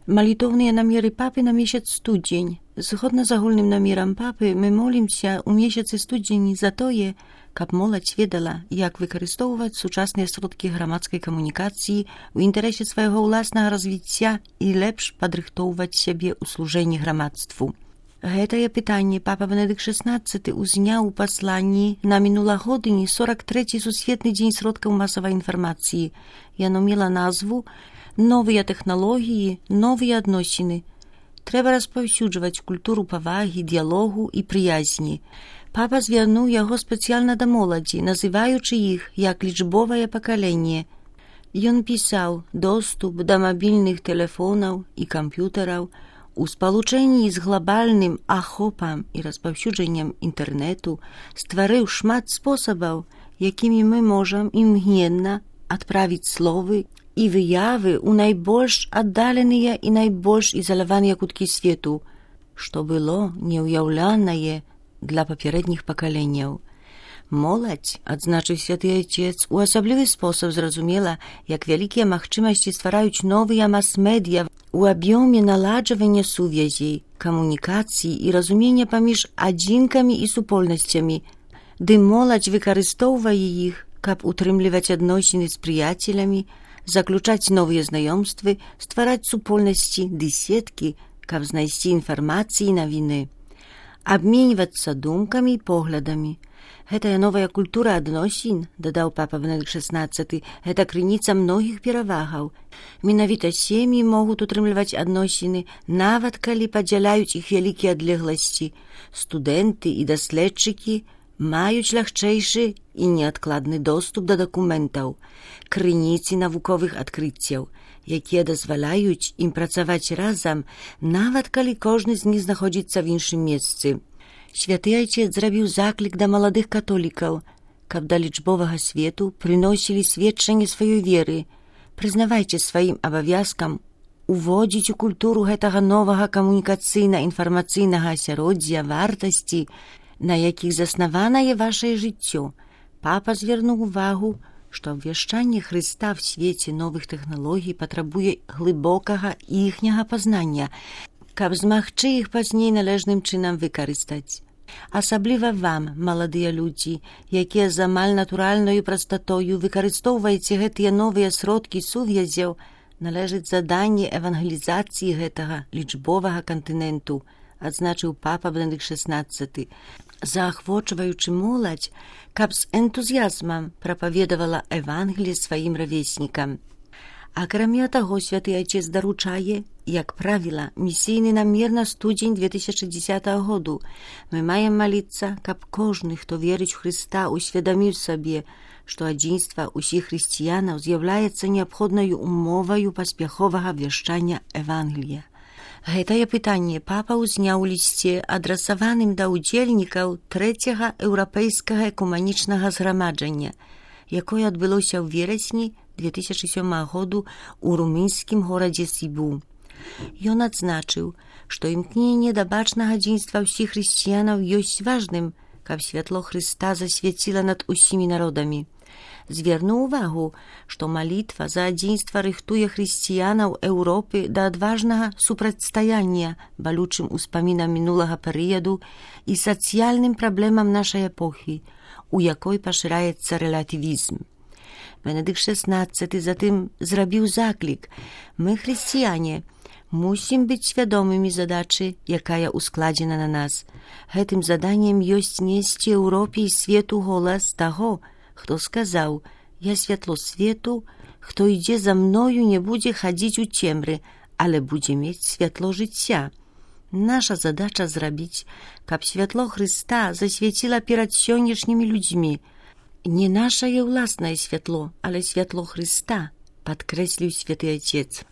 Молитовные намеры папы на месяц студень. Згодна з агульным намерам папы, мы молімся ў месяцы студзені за тое, каб моладзь ведала, як выкарыстоўваць сучасныя сродкі грамадскай камунікацыі ў інтарэсе свайго ўласнага развіцця і лепш падрыхтоўваць сябе ў служэнні грамадству. Гэтае пытанне папа Бенедыкт XVI узняў у пасланні на мінулагодні 43-й сусветны дзень сродкаў масавай інфармацыі. Яно мела назву «Новыя тэхналогіі, новыя адносіны». Трэба распаўсюджваць культуру павагі, дыялогу і прыязні. Папа звярнуў яго спецыяльна да моладзі, называючы іх як лічбовае пакаленне. Ён пісаў: «Доступ да мабільных тэлефонаў і камп'ютараў у спалучэнні з глобальным ахопам і распаўсюджаннем інтэрнэту стварыў шмат спосабаў, якімі мы можам імгненна адправіць словы і выявы ў найбольш аддаленыя і найбольш ізаляваныя куткі свету, што было неўяўлянае для папярэдніх пакаленняў». Моладзь, адзначыў святы айцец, у асаблівы спосаб зразумела, як вялікія магчымасці ствараюць новыя мас-медыя у аб'ёме наладжвання сувязей, камунікацый і разумення паміж адзінкамі і супольнасцямі, ды моладзь выкарыстоўвае іх, каб утрымліваць адносіны з прыяцелямі, заключаць новыя знаёмствы, ствараць супольнасці ды сеткі, каб знайсці інфармацыі і навіны, абменьвацца думкамі і поглядамі. Гэтая новая культура адносін, дадаў папа Бенедыкт XVI, гэта крыніца многіх перавагаў. Менавіта сем'і могуць утрымліваць адносіны, нават калі падзяляюць іх вялікія адлегласці. Студэнты і даследчыкі маюць лягчэйшы і неадкладны доступ да дакументаў, крыніцы навуковых адкрыццяў, якія дазваляюць ім працаваць разам, нават калі кожны з них знаходзіцца в іншым месцы. Святы айцец зрабіў заклік да маладых католікаў, каб да лічбовага свету прыносілі сведчанне сваёй веры. Прызнавайце сваім абавязкам уводзіць у культуру гэтага новага камунікацыйна-інфармацыйнага асяроддзя вартасці, на якіх заснаванае вашае жыццё. Папа звярнуў увагу, што абвяшчанне Хрыста в свеце новых тэхналогій патрабуе глыбокага іхняга пазнання, каб змагчы іх пазней належным чынам выкарыстаць. Асабліва вам, маладыя людзі, якія з амаль натуральнаю прастатою выкарыстоўваеце гэтыя новыя сродкі сувязяў, належыць заданне евангелізацыі гэтага лічбовага кантыненту, адзначыў папа Бенедыкт XVI, заахвочваючы моладзь, каб з энтузіязмам прапаведавала Евангелие сваім равеснікам. Акрамя таго, святы айцец даручае, як правіла, місійны намер на студзень 2010 году. Мы маем маліцца, каб кожны, хто верыць у Хрыста, усведаміў сабе, што адзінства ўсіх хрысціянаў з'яўляецца неабходнаю умоваю паспяховага абвяшчання Евангелія. Гэтае пытанне папа ўзняў у лісце, адрасаваным да ўдзельнікаў трэцяга еўрапейскага экуманічнага зграмаджання, якое адбылося ў верасні 2007 году у румынскім горадзе Сібу. Ён адзначыў, што імкненне да бачнага адзінства ўсіх хрысціянаў ёсць важным, каб святло Хрыста засвяціла над усімі народамі. Звярнуў увагу, што малітва за адзінства рыхтуе хрысціянаў Еўропы да адважнага супрацьстаяння балючым успамінам мінулага перыяду і сацыяльным праблемам нашай эпохі, у якой пашыраецца рэлятывізм. Бенедыкт XVI затым зрабіў заклік: «Мы, хрысціяне, мусім быць свядомымі задачы, якая ускладзена на нас. Гэтым заданнем ёсць несці Еўропе і свету голас таго, хто сказаў: «Я святло свету, хто ідзе за мною, не будзе хадзіць у цемры, але будзе мець святло жыцця». Наша задача зрабіць, каб святло Хрыста засвяціла перад сённяшнімі людзьмі. Не нашае ўласнае святло, але святло Хрыста, падкрэсліў святы айцец.